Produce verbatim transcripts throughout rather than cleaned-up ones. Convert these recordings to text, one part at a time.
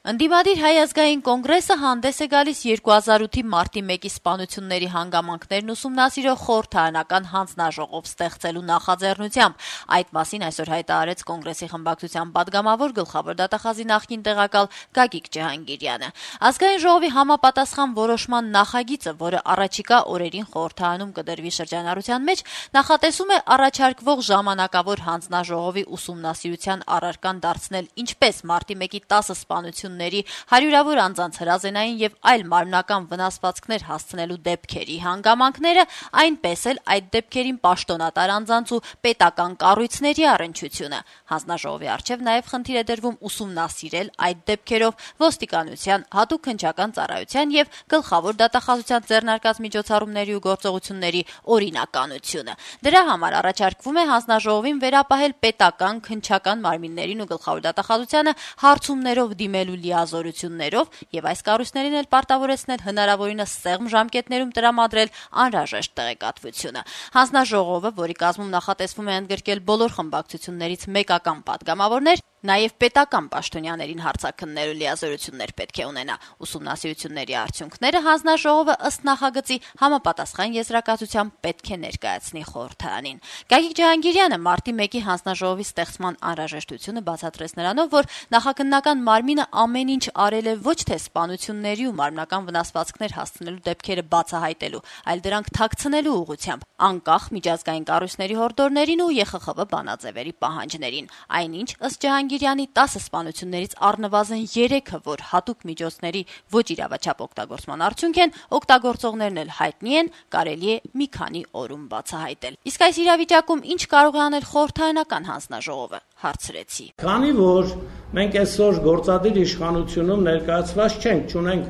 Ընդդիմադիր Հայ ազգային կոնգրեսը հանդես է գալիս երկու հազար ութի մարտի մեկի սպանությունների հանգամանքներն ուսումնասիրող խորհրդարանական հանձնաժողով ստեղծելու նախաձեռնությամբ։ Այդ մասին այսօր հայտարարեց կոնգրեսի խմբակցության պատգամավոր գլխավոր դատախազի նախկին տեղակալ Գագիկ Ջհանգիրյանը։ Ազգային ժողովի համապատասխան որոշման նախագիծը, որը առաջիկա օրերին խորհրդարանում կդրվի շրջանառության մեջ, նախատեսում է առաջարկվող ժամանակավոր հանձնաժողովի ուսումնասիրության առարկան դարձնել ինչպես մարտի մեկի տասը սպանություն հարյուրավոր անձանց հրազենային եւ այլ մարմնական վնասվածքներ հասցնելու դեպքերի հանգամանքները, այնպես էլ այդ դեպքերին պաշտոնատար անձանց ու պետական կառույցների առնչությունը։ Հանձնաժողովի առջև նաեւ խնդիր է դրվում ուսումնասիրել այդ դեպքերով ոստիկանության, հատուկ քննչական ծառայության եւ գլխավոր դատախազության ձեռնարկած միջոցառումների ու գործողությունների օրինականությունը։ Դրա համար առաջարկվում է հանձնաժողովին վերապահել պետական քննչական մարմիններին ու գլխավոր դատախազությանը հարցումներով դիմելու լիազորություններով եւ այս կառույցներին էլ պարտավորեցնել հնարավորինս սեղմ ժամկետներում տրամադրել անհրաժեշտ տեղեկատվությունը։ Հանձնաժողովը, որի կազմում նախատեսվում է ընդգրկել բոլոր խմբակցություններից մեկական պատգամավորներ, նաեւ պետական պաշտոնյաներին հարցաքննելու լիազորություններ պետք է ունենա։ Ուսումնասիրությունների արդյունքները հանձնաժողովը ըստ նախագծի համապատասխան եզրակացությամբ պետք է ներկայացնի խորհրդարանին։ Գագիկ Ջհանգիրյանը մարտի մեկի հանձնաժողովի ստեղծման անհրաժեշտությունը բացատրեց նրանով, որ նախաքննական մարմինը ամեն ինչ արել է ոչ թե սպանությունների ու մարմնական վնասվածքներ հասցնելու դեպքերը բացահայտելու, այլ դրանք թաքցնելու ուղղությամբ, անկախ միջազգային կառույցների հորդորներին ու Ե Խ Խ V բանաձևերի պահանջներին։ Այնինչ, ըստ Ջհանգիրյանի, տասը սպանություններից առնվազն երեքը, որ հատուկ միջոցների ոչ իրավաչափ օգտագործման արդյունք են, օգտագործողներն էլ հայտնի են, կարելի է մի քանի օրում բացահայտել։ Իսկ այս իրավիճակում ինչ կարող է անել խորհրդարանական հանձնաժողովը, հարցրեցի։ Քանի որ մենք այսօր գործադիր իշխանությունում ներկայացված չենք, չունենք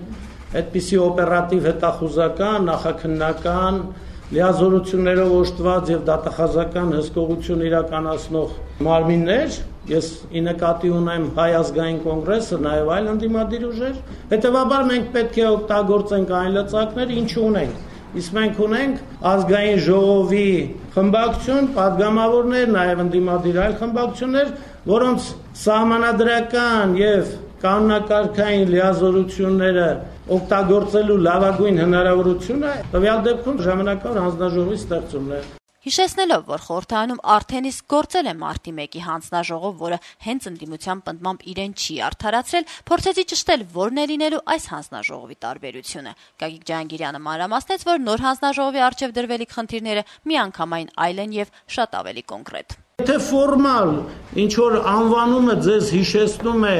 այդպիսի օպերատիվ հետախուզական, նախաքննական, լիազորություններով օժտված եւ դատախազական հսկողություն իրականացնող մարմիններ, ես ի նկատի ունեմ Հայ ազգային կոնգրեսը, նաեւ այլ ընդդիմադիր ուժեր, հետեւաբար մենք պետք է օգտագործենք այն լծակները, ինչ ունենք։ Իսկ մենք ունենք ազգային ժողովի խմբակցություն, պատգամավորներ, նաեւ ընդդիմադիր այլ խմբակցություններ, որոնց սահմանադրական եւ կանոնակարգային լիազորությունները օգտագործելու լավագույն հնարավորությունը տվյալ դեպքում ժամանակավոր հանձնաժողովի ստեղծումն է։ Հիշեցնելով, որ խորհրդարանում արդեն իսկ գործել է մարտի մեկի հանձնաժողով, որը հենց ընդդիմության պնդմամբ իրեն չի արդարացրել, փորձեցի ճշտել որն է լինելու այս հանձնաժողովի տարբերությունը։ Գագիկ Ջհանգիրյանը մանրամասնեց, որ նոր հանձնաժողովի առջև դրվելիք խնդիրները միանգամայն այլ են եւ շատ ավելի կոնկրետ։ Եթե ֆորմալ ինչ որ անվանումը ձեզ հիշեցնում է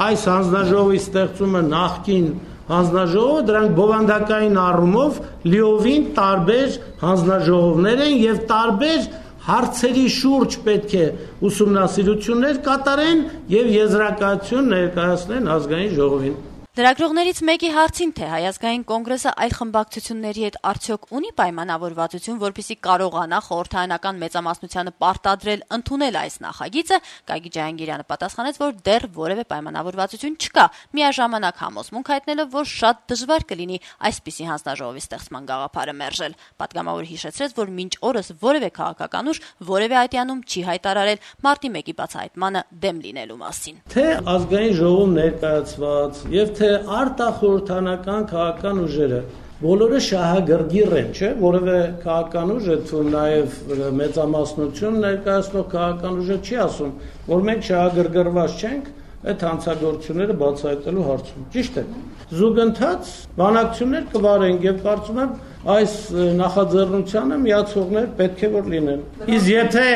այս հանձնաժողովի ստեղծումը նախկին հանձնաժողովը, դրանք բովանդակային առումով լիովին տարբեր հանձնաժողովներ են եւ տարբեր հարցերի շուրջ պետք է ուսումնասիրություններ կատարեն եւ եզրակացություն ներկայացնեն ազգային ժողովին։ Լրագրողներից մեկի հարցին, թե Հայ ազգային կոնգրեսը այլ խմբակցությունների հետ արդյոք ունի պայմանավորվածություն, որպեսզի կարողանա խորհրդարանական մեծամասնությանը պարտադրել ընդունել այս նախագիծը, Գագիկ Ջհանգիրյանը պատասխանեց, որ դեռ որևէ պայմանավորվածություն չկա, միաժամանակ համոզմունք հայտնելով, որ շատ դժվար կլինի այսպիսի հանձնաժողովի ստեղծման գաղափարը մերժել։ Պատգամավորը հիշեցրեց, որ մինչ օրս որևէ քաղաքական ուժ որևէ այտյանում չի հայտարարել մարտի մեկի բացահայտմանը դեմ լինելու մասին։ Թե ազգային ժողովում ներկայացված եւ թե արտախորհրդանական քաղաքական ուժերը բոլորը շահագրգիռ են, չէ՞, որևէ քաղաքական ուժ, թվում նաեւ մեծամասնություն ներկայացնող քաղաքական ուժը չի ասում, որ մենք շահագրգռված չենք այդ հանցագործությունները բացահայտելու հարցում։ Ճիշտ է։ Զուգընթաց բանակցություններ կվարենք եւ կարծում եմ այս նախաձեռնությանը միացողներ պետք է որ լինեն։ Իսկ եթե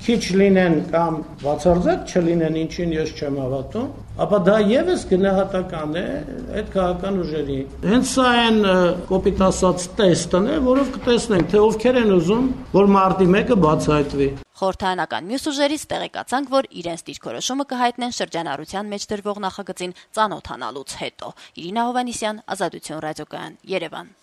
քիչ լինեն կամ բացարձակ չլինեն, ինչին ես չեմ հավատում, ապա դա եւս գնահատական է այդ քաղաքական ուժերի։ Հենց սա այն կոպիտ ասած տեստն է, որով կտեսնենք, թե ովքեր են ուզում, որ մարտի մեկը բացահայտվի։ Խորհրդարանական մյուս ուժերից տեղեկացանք, որ իրենց դիրքորոշումը կհայտնեն շրջանառության մեջ դրվող նախագծին ծանոթանալուց հետո։ Իրինա Հովհաննիսյան, Ազատություն ռադիոկայան, Երևան։